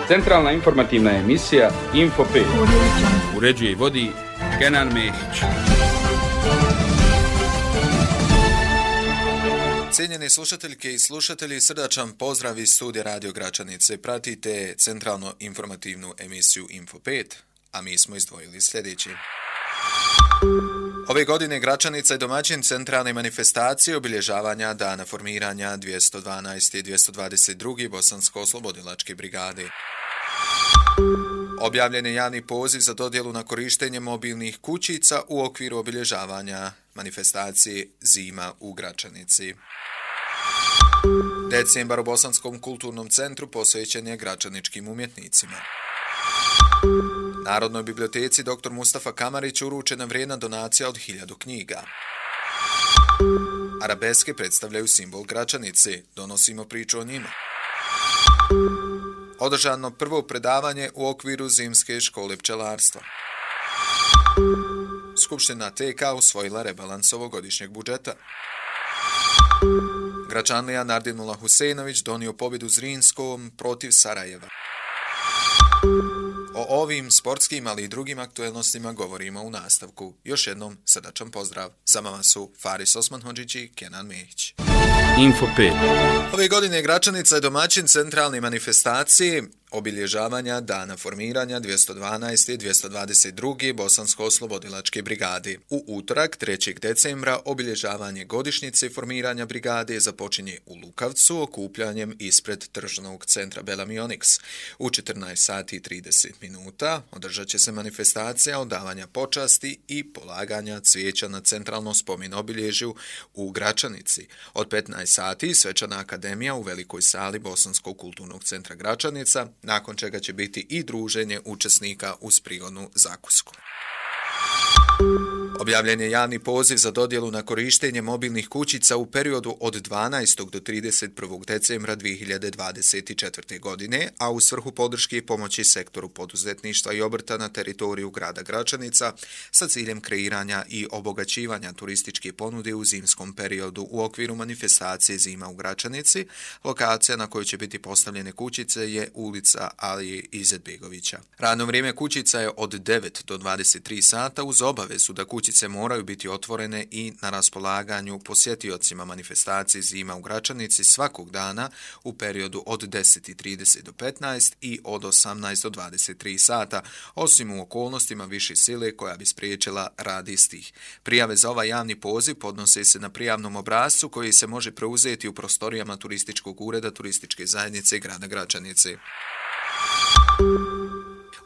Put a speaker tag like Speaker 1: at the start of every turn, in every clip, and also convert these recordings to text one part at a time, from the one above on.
Speaker 1: Centralna informativna emisija Info 5. Uređuje i vodi Kenan Mehić.
Speaker 2: Cijenjeni slušateljke i slušatelji, srdačan pozdrav iz studija Radio Gračanice. Pratite centralno informativnu emisiju Info 5, a mi smo izdvojili sljedeći. Ove godine Gračanica je domaćin centralne manifestacije obilježavanja dana formiranja 212. i 222. Bosansko-oslobodilačke brigade. Objavljen je javni poziv za dodjelu na korištenje mobilnih kućica u okviru obilježavanja manifestacije Zima u Gračanici. Decembar u Bosanskom kulturnom centru posvećen je gračaničkim umjetnicima. Narodnoj biblioteci dr. Mustafa Kamarić uručena vrijedna donacija od 1000 knjiga. Arabeske predstavljaju simbol Gračanice, donosimo priču o njima. Održano prvo predavanje u okviru Zimske škole pčelarstva. Skupština TK usvojila rebalans ovogodišnjeg budžeta. Gračanlija Nardinullah Husejnović donio pobjedu Zrinskom protiv Sarajeva. O ovim sportskim, ali i drugim aktuelnostima govorimo u nastavku. Još jednom srdačan pozdrav. Sa vama su Faris Osmanhodžić i Kenan Mehić.
Speaker 1: Info 5.
Speaker 2: Ove godine Gračanica je domaćin centralne manifestacije obilježavanja dana formiranja 212. i 222. Bosansko-oslobodilačke brigade. U utorak, 3. decembra, obilježavanje godišnjice formiranja brigade započinje u Lukavcu okupljanjem ispred tržnog centra Belami Onyx. U 14 sati i 30 minuta održat će se manifestacija odavanja počasti i polaganja cvijeća na centralnom spomen obilježju u Gračanici. Od 15 sati svečana akademija u velikoj sali Bosanskog kulturnog centra Gračanica, nakon čega će biti i druženje učesnika uz prigodnu zakusku. Objavljen je javni poziv za dodjelu na korištenje mobilnih kućica u periodu od 12. do 31. decembra 2024. godine, a u svrhu podrške i pomoći sektoru poduzetništva i obrta na teritoriju grada Gračanica sa ciljem kreiranja i obogaćivanja turističke ponude u zimskom periodu u okviru manifestacije Zima u Gračanici. Lokacija na kojoj će biti postavljene kućice je ulica Alije Izetbegovića. Radno vrijeme kućica je od 9 do 23 sata uz obavezu da kućice moraju biti otvorene i na raspolaganju posjetiocima manifestacije Zima u Gračanici svakog dana u periodu od 10:30 do 15 i od 18 do 23 sata, osim u okolnostima više sile koja bi spriječila rad istih. Prijave za ovaj javni poziv podnose se na prijavnom obrascu koji se može preuzeti u prostorijama turističkog ureda turističke zajednice grada Gračanice.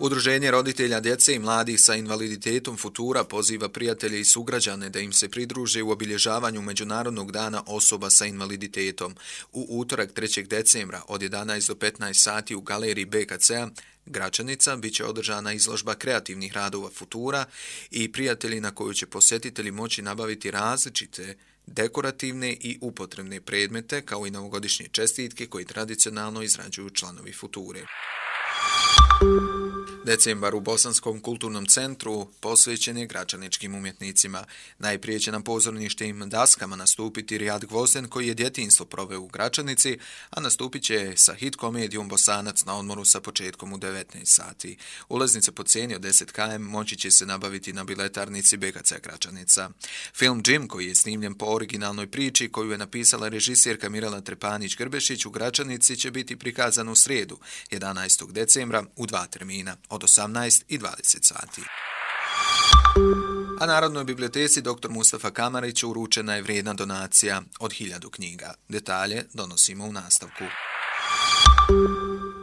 Speaker 2: Udruženje roditelja djece i mladih sa invaliditetom Futura poziva prijatelje i sugrađane da im se pridruže u obilježavanju Međunarodnog dana osoba sa invaliditetom. U utorak 3. decembra od 11 do 15 sati u galeriji BKC-a Gračanica bit će održana izložba kreativnih radova Futura i prijatelji na koju će posjetitelji moći nabaviti različite dekorativne i upotrebne predmete kao i novogodišnje čestitke koje tradicionalno izrađuju članovi Future. Decembar u Bosanskom kulturnom centru posvećen je gračaničkim umjetnicima. Najprije će na pozorništim daskama nastupiti Rijad Gvozden koji je djetinjstvo proveo u Gračanici, a nastupit će sa hit komedijom Bosanac na odmoru sa početkom u 19 sati. Ulaznice po cijeni od 10 km moći će se nabaviti na biletarnici BKC Gračanica. Film Jim koji je snimljen po originalnoj priči koju je napisala režisjerka Mirela Trepanić-Grbešić u Gračanici će biti prikazan u srijedu 11. decembra u 2 termina od 18 i 20 sati. A Narodnoj biblioteci dr. Mustafa Kamarić uručena je vrijedna donacija od 1000 knjiga. Detalje donosimo u nastavku.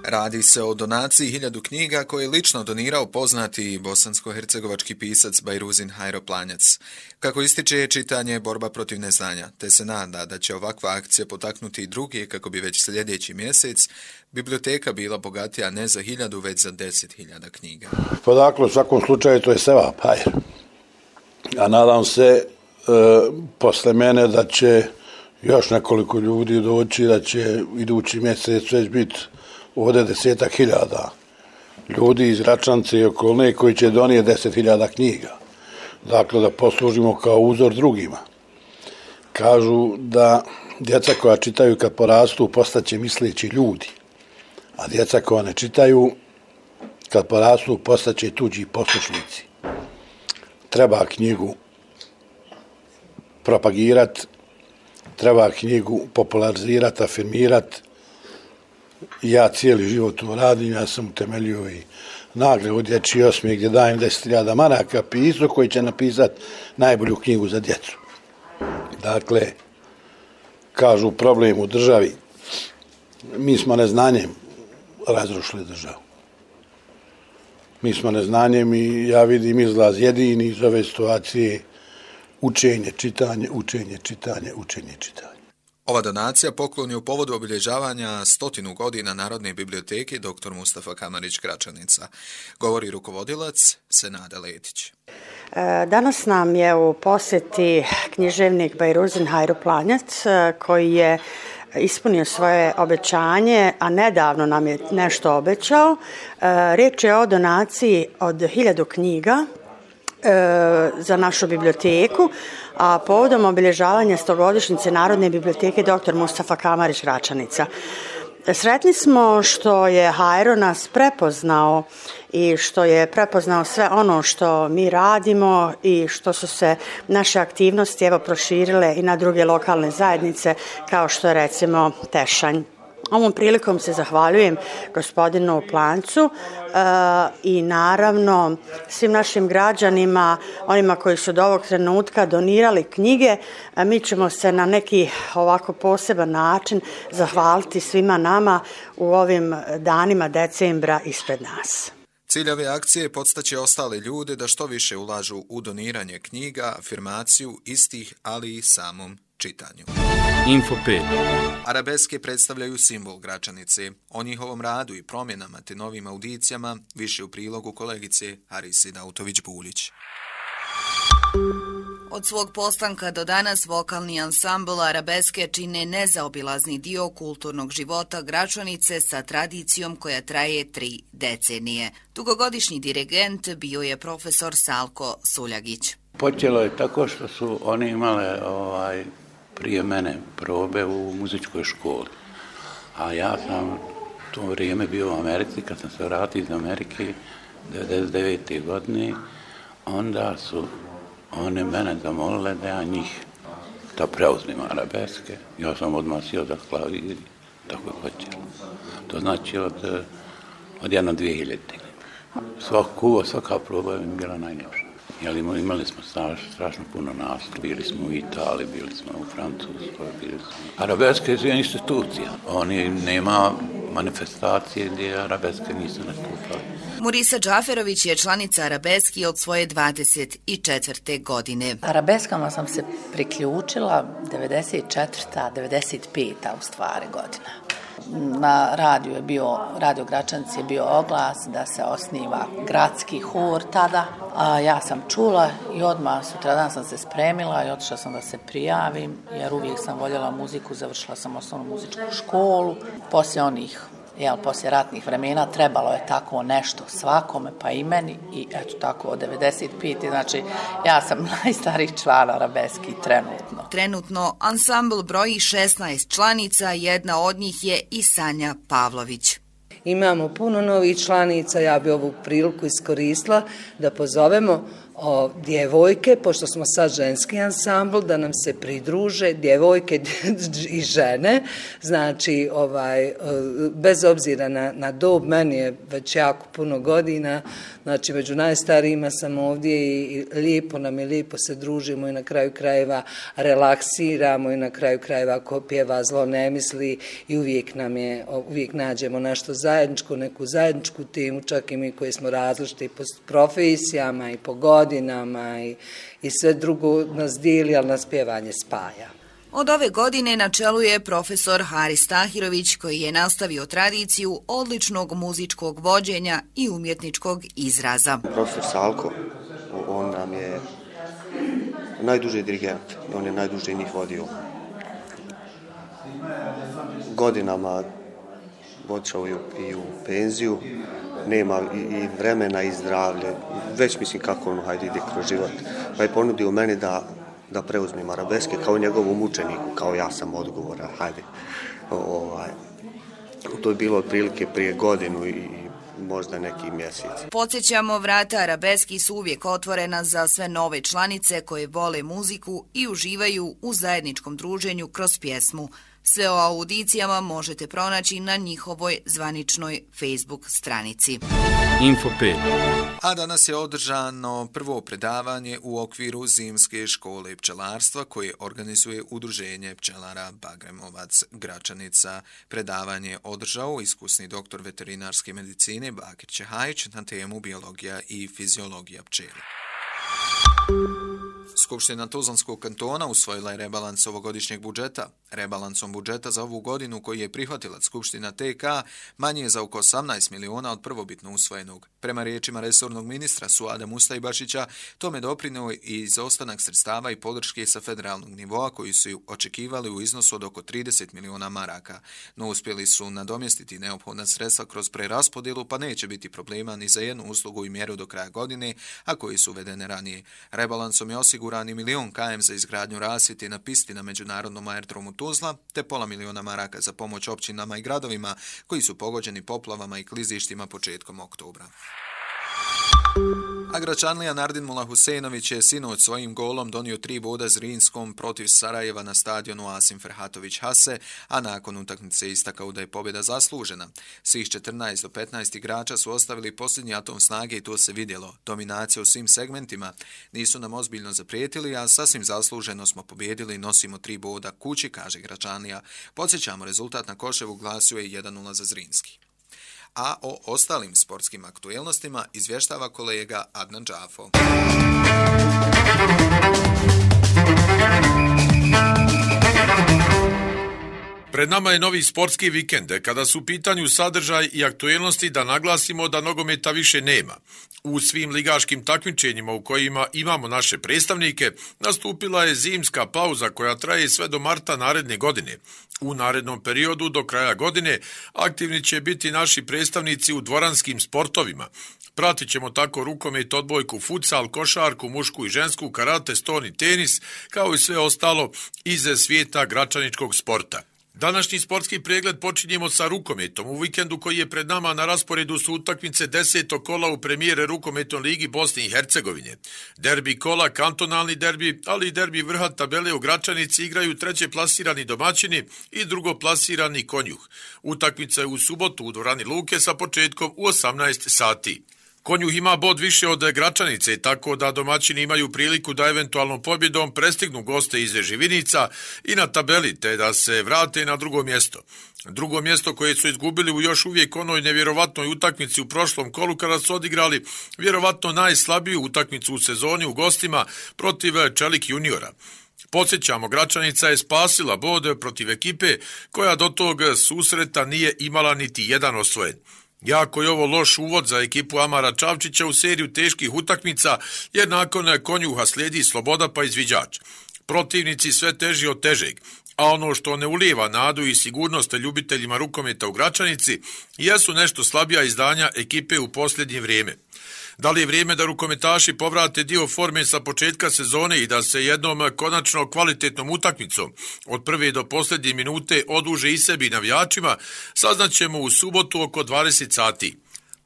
Speaker 2: Radi se o donaciji 1000 knjiga koje je lično donirao poznati bosansko-hercegovački pisac Bajruzin Hajro Planjac. Kako ističe, čitanje je borba protiv neznanja, te se nada da će ovakva akcija potaknuti i druge kako bi već sljedeći mjesec biblioteka bila bogatija ne za 1000, već za 10.000 knjiga.
Speaker 3: Pa dakle, u svakom slučaju to je sevap, hajr. A nadam se posle mene da će još nekoliko ljudi doći, da će idući mjesec već biti ovdje 10.000 ljudi iz Gračanice i okolne koji će donijeti 10.000 knjiga. Dakle, da poslužimo kao uzor drugima. Kažu da djeca koja čitaju kad porastu postaće misleći ljudi. A djeca koja ne čitaju, kad porastu, postaće tuđi poslušnici. Treba knjigu propagirati, treba knjigu popularizirati, afirmirati. Ja cijeli život to radim, ja sam utemeljio i nagradu Dječji osmijeh gdje dajem 10.000 maraka pisu koji će napisati najbolju knjigu za djecu. Dakle, kažu problem u državi, mi smo neznanjem razrušili državu. Mi smo neznanjem i ja vidim izlaz jedini iz ove situacije učenje, čitanje, učenje, čitanje, učenje, čitanje.
Speaker 2: Ova donacija poklon je u povodu obilježavanja 100 godina Narodne biblioteke dr. Mustafa Kamarić Gračanica. Govori rukovodilac Senada Letić.
Speaker 4: Danas nam je u posjeti književnik Bajruzin Hajru Planjac koji je ispunio svoje obećanje, a nedavno nam je nešto obećao. Riječ je o donaciji od 1000 knjiga za našu biblioteku, a povodom obilježavanja 100-godišnjice Narodne biblioteke dr. Mustafa Kamarić Gračanica. Sretni smo što je Hajro nas prepoznao i što je prepoznao sve ono što mi radimo i što su se naše aktivnosti proširile i na druge lokalne zajednice kao što je recimo Tešanj. Ovom prilikom se zahvaljujem gospodinu Plancu i naravno svim našim građanima, onima koji su do ovog trenutka donirali knjige. Mi ćemo se na neki ovako poseban način zahvaliti svima nama u ovim danima decembra ispred nas.
Speaker 2: Cilj ove akcije je podstaći ostale ljude da što više ulažu u doniranje knjiga, afirmaciju istih, ali i samom čitanju.
Speaker 1: Info 5.
Speaker 2: Arabeske predstavljaju simbol Gračanice. O njihovom radu i promjenama te novim audicijama više u prilogu kolegice Harise Dautović-Buljić.
Speaker 5: Od svog postanka do danas vokalni ansambl Arabeske čine nezaobilazni dio kulturnog života Gračanice sa tradicijom koja traje 3 decenije. Dugogodišnji dirigent bio je profesor Salko Suljagić.
Speaker 6: Počelo je tako što su oni imale prije mene probe u muzičkoj školi. A ja sam u to vrijeme bio u Americi, kad sam se vratio iz Amerike 1999. godine, onda su one mene zamolile da ja njih da preuzmem arabeske. Ja sam odmah sjeo za klavir i tako je počelo. To znači od 2000. Svaka proba je bila najljepša. Jer imali smo strašno puno nastupa. Bili smo u Italiji, bili smo u Francuskoj, bili smo... Arabeske je institucija. Oni nema manifestacije gdje arabeske nisu nastupali.
Speaker 5: Murisa Džaferović je članica Arabeski od svoje 24. godine.
Speaker 7: Arabeskama sam se priključila 94. 95. u stvari godina. Na Radio Gračanci je bio oglas da se osniva gradski hor tada. A ja sam čula i odmah sutradan sam se spremila i otišla sam da se prijavim, jer uvijek sam voljela muziku, završila sam osnovnu muzičku školu. Poslije ratnih vremena trebalo je tako nešto svakome, pa i meni, i eto tako od 95. Znači ja sam najstariji član Arabeski trenutno.
Speaker 5: Trenutno ansambl broji 16 članica, jedna od njih je i Sanja Pavlović.
Speaker 8: Imamo puno novih članica, ja bi ovu priliku iskoristila da pozovemo djevojke, pošto smo sad ženski ansambl, da nam se pridruže djevojke i žene, znači bez obzira na dob, meni je već jako puno godina, znači među najstarijima sam ovdje i lijepo se družimo i na kraju krajeva relaksiramo i na kraju krajeva ko pjeva zlo ne misli i uvijek nađemo nešto zajedničko, neku zajedničku temu, čak i mi koji smo različiti po profesijama i po godinama i sve drugo nas dijeli, ali nas pjevanje spaja.
Speaker 5: Od ove godine na čelu je profesor Haris Tahirović koji je nastavio tradiciju odličnog muzičkog vođenja i umjetničkog izraza.
Speaker 9: Profesor Salko, on nam je najduži dirigent, on je najduže njih vodio. Godinama otišao i u penziju, nema i vremena i zdravlje, već mislim kako ide kroz život. Pa je ponudio meni da preuzmem arabeske kao njegovom učeniku, kao ja sam odgovoran, To je bilo otprilike prije godinu i možda neki mjesec.
Speaker 5: Podsjećamo, vrata Arabeski su uvijek otvorena za sve nove članice koje vole muziku i uživaju u zajedničkom druženju kroz pjesmu. Sve o audicijama možete pronaći na njihovoj zvaničnoj Facebook stranici.
Speaker 1: Info 5.
Speaker 2: A danas je održano prvo predavanje u okviru Zimske škole pčelarstva koje organizuje Udruženje pčelara Bagremovac Gračanica. Predavanje je održao iskusni doktor veterinarske medicine Bakir Čehajić na temu biologija i fiziologija pčela. Skupština Tuzlanskog kantona usvojila je rebalans ovogodišnjeg budžeta. Rebalansom budžeta za ovu godinu koji je prihvatila Skupština TK manji je za oko 18 miliona od prvobitno usvojenog. Prema riječima resornog ministra Suada Mustajbašića, tome doprineo i izostanak sredstava i podrške sa federalnog nivoa koji su očekivali u iznosu od oko 30 miliona maraka. No uspjeli su nadomjestiti neophodna sredstva kroz preraspodjelu, pa neće biti problema ni za jednu uslugu i mjeru do kraja godine, a koji su uvedene ranije. Rebalansom je osiguran i 1 milion km za izgradnju rasvjete na pisti na međunarodnom aerodromu Tuzla, te pola miliona maraka za pomoć općinama i gradovima koji su pogođeni poplavama i klizištima početkom oktobra. A Gračanlija Nardin Mula Husejnović je sinoć svojim golom donio 3 boda Zrinskom protiv Sarajeva na stadionu Asim Ferhatović Hase, a nakon utakmice istakao da je pobjeda zaslužena. Svih 14 do 15 igrača su ostavili posljednji atom snage i to se vidjelo. Dominacija u svim segmentima. Nisu nam ozbiljno zaprijetili, a sasvim zasluženo smo pobjedili i nosimo 3 boda kući, kaže Gračanlija. Podsjećamo, rezultat na Koševu glasio je 1-0 za Zrinski. A o ostalim sportskim aktuelnostima izvještava kolega Adnan Džafo.
Speaker 10: Pred nama je novi sportski vikend. Kada su u pitanju sadržaj i aktuelnosti, da naglasimo da nogometa više nema. U svim ligaškim takmičenjima u kojima imamo naše predstavnike, nastupila je zimska pauza koja traje sve do marta naredne godine. U narednom periodu do kraja godine aktivni će biti naši predstavnici u dvoranskim sportovima. Pratit ćemo tako rukomet, odbojku, futsal, košarku, mušku i žensku, karate, ston i tenis, kao i sve ostalo iz svijeta gračaničkog sporta. Današnji sportski pregled počinjemo sa rukometom. U vikendu koji je pred nama na rasporedu su utakmice 10. kola u premijere rukometnoj ligi Bosne i Hercegovine. Derbi kola, kantonalni derbi, ali i derbi vrha tabele u Gračanici igraju treće plasirani domaćini i drugo plasirani Konjuh. Utakmica je u subotu u dvorani Luke sa početkom u 18 sati. Konjuh ima bod više od Gračanice, tako da domaćini imaju priliku da eventualnom pobjedom prestignu goste iz Živinica i na tabeli, te da se vrate na drugo mjesto. Drugo mjesto koje su izgubili u još uvijek onoj nevjerovatnoj utakmici u prošlom kolu kada su odigrali vjerovatno najslabiju utakmicu u sezoni u gostima protiv Čelik juniora. Podsjećamo, Gračanica je spasila bod protiv ekipe koja do tog susreta nije imala niti jedan osvojen. Jako je ovo loš uvod za ekipu Amara Čavčića u seriju teških utakmica, jer nakon Konjuha slijedi Sloboda pa izviđač. Protivnici sve teži od težeg, a ono što ne ulijeva nadu i sigurnost ljubiteljima rukometa u Gračanici jesu nešto slabija izdanja ekipe u posljednje vrijeme. Da li je vrijeme da rukometaši povrate dio forme sa početka sezone i da se jednom konačno kvalitetnom utakmicom od prve do posljednje minute oduže i sebi navijačima, saznaćemo u subotu oko 20 sati.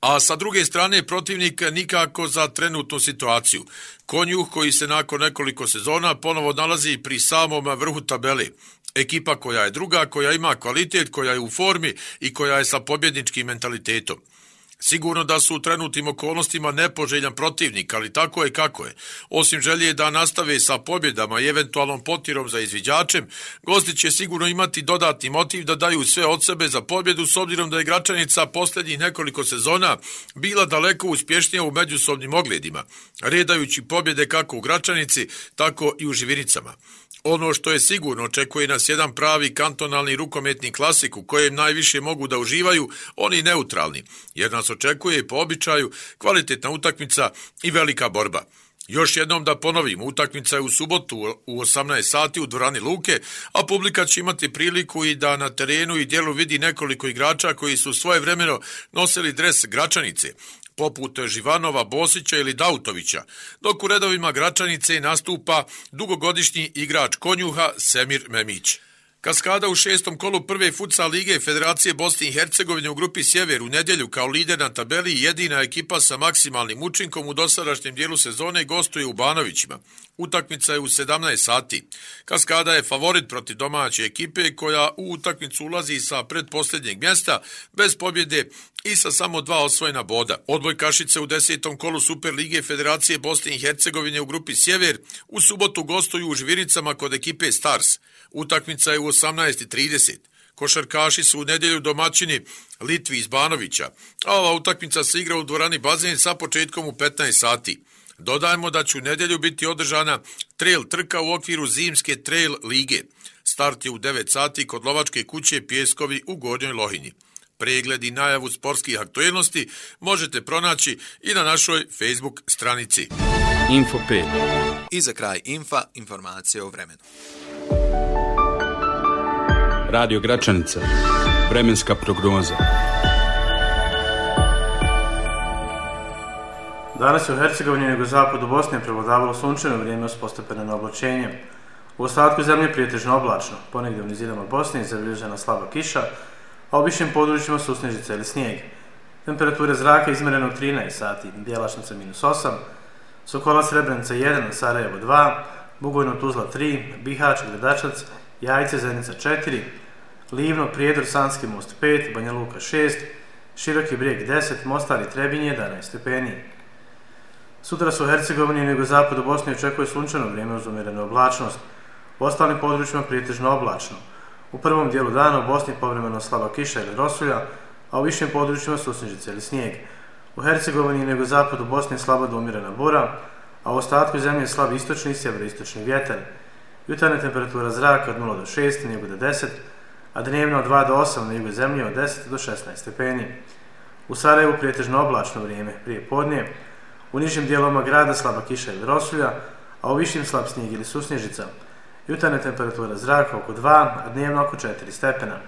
Speaker 10: A sa druge strane protivnik nikako za trenutnu situaciju. Konjuh koji se nakon nekoliko sezona ponovo nalazi pri samom vrhu tabele. Ekipa koja je druga, koja ima kvalitet, koja je u formi i koja je sa pobjedničkim mentalitetom. Sigurno da su u trenutnim okolnostima nepoželjan protivnik, ali tako je kako je. Osim želje da nastave sa pobjedama i eventualnom potirom za izviđačem, gosti će sigurno imati dodatni motiv da daju sve od sebe za pobjedu, s obzirom da je Gračanica posljednjih nekoliko sezona bila daleko uspješnija u međusobnim ogledima, redajući pobjede kako u Gračanici, tako i u Živinicama. Ono što je sigurno, očekuje nas jedan pravi kantonalni rukometni klasik u kojem najviše mogu da uživaju oni neutralni, jer nas očekuje po običaju kvalitetna utakmica i velika borba. Još jednom da ponovim, utakmica je u subotu u 18 sati u dvorani Luke, a publika će imati priliku i da na terenu i dijelu vidi nekoliko igrača koji su svojevremeno nosili dres Gračanice, poput Živanova, Bosića ili Dautovića, dok u redovima Gračanice nastupa dugogodišnji igrač Konjuha Semir Memić. Kaskada u 6. kolu prve futsal lige Federacije Bosne i Hercegovine u grupi Sjever u nedjelju kao lider na tabeli i jedina ekipa sa maksimalnim učinkom u dosadašnjem dijelu sezone gostuje u Banovićima. Utakmica je u 17 sati. Kaskada je favorit protiv domaće ekipe koja u utakmicu ulazi sa predposljednjeg mjesta bez pobjede i sa samo 2 osvojena boda. Odbojkašice u 10. kolu Super lige Federacije Bosne i Hercegovine u grupi Sjever u subotu gostuju u Žviricama kod ekipe Stars. Utakmica je u 18:30. Košarkaši su u nedjelju domaćini Litvi iz Banovića, a ova utakmica se igra u dvorani Bazen sa početkom u 15 sati. Dodajmo da će u nedjelju biti održana trail trka u okviru zimske trail lige. Start je u 9 sati kod lovačke kuće Pjeskovi u Gornjoj Lohinji. Pregled i najavu sportskih aktuelnosti možete pronaći i na našoj Facebook stranici.
Speaker 2: Info 5. I za kraj informacije o vremenu.
Speaker 1: Radio Gračanica. Vremenska prognoza.
Speaker 11: Danas je u Hercegovini i jugozapadu Bosne prevladavalo sunčano vrijeme s postepenim oblačenjem. U ostatku zemlje prijetežno oblačno, ponegdje u nizinama Bosne zabilježena slaba kiša, a u višim područjima su snježice ili snijeg. Temperature zraka izmjerene u 13 sati, Bjelašnica -8, Sokola Srebrenica 1, Sarajevo 2, Bugojno Tuzla 3, Bihać, Gradačac, Jajce, Zenica 4, Livno, Prijedor, Sanski most 5, Banja Luka 6, Široki Brijeg 10, Mostar i Trebinje 11 stepeni. Sutra se u Hercegovini i jugozapadu Bosne očekuje sunčano vrijeme uz umjerenu oblačnost. U ostalim područjima prijetežno oblačno. U prvom dijelu dana u Bosni povremeno slaba kiša ili rosulja, a u višim područjima su snježice ili snijeg. U Hercegovini i jugozapadu Bosne slaba do umjerena bura, a u ostatku zemlje slab istočni i sjeveroistočni vjetar. Jutarnja temperatura zraka od 0 do 6, na jugu do 10, a dnevno od 2 do 8, na jugu zemlje od 10 do 16 stepeni. U Sarajevu prijetežno oblačno vrijeme prije podne, u nižim dijelovima grada slaba kiša ili rosulja, a u višim slab snijeg ili susnježica. Jutarnja temperatura zraka oko 2, a dnevno oko 4 stepena.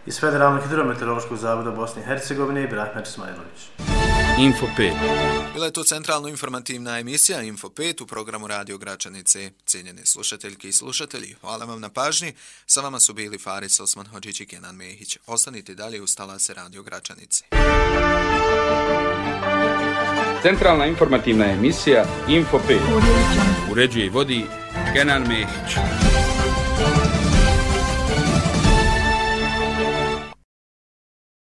Speaker 11: Iz Federalnog hidrometeorološkog zavoda Bosne i Hercegovine i Brahmer Smajlović.
Speaker 2: Info 5. Bila je to centralno informativna emisija Info 5 u programu Radio Gračanice. Cijenjene slušateljke i slušatelji, hvala vam na pažnji. Sa vama su bili Faris Osman Hodžić i Kenan Mehić. Ostanite dalje uz talase Radio Gračanice.
Speaker 1: Centralna informativna emisija Info 5. Uređuje i vodi Kenan Mehić.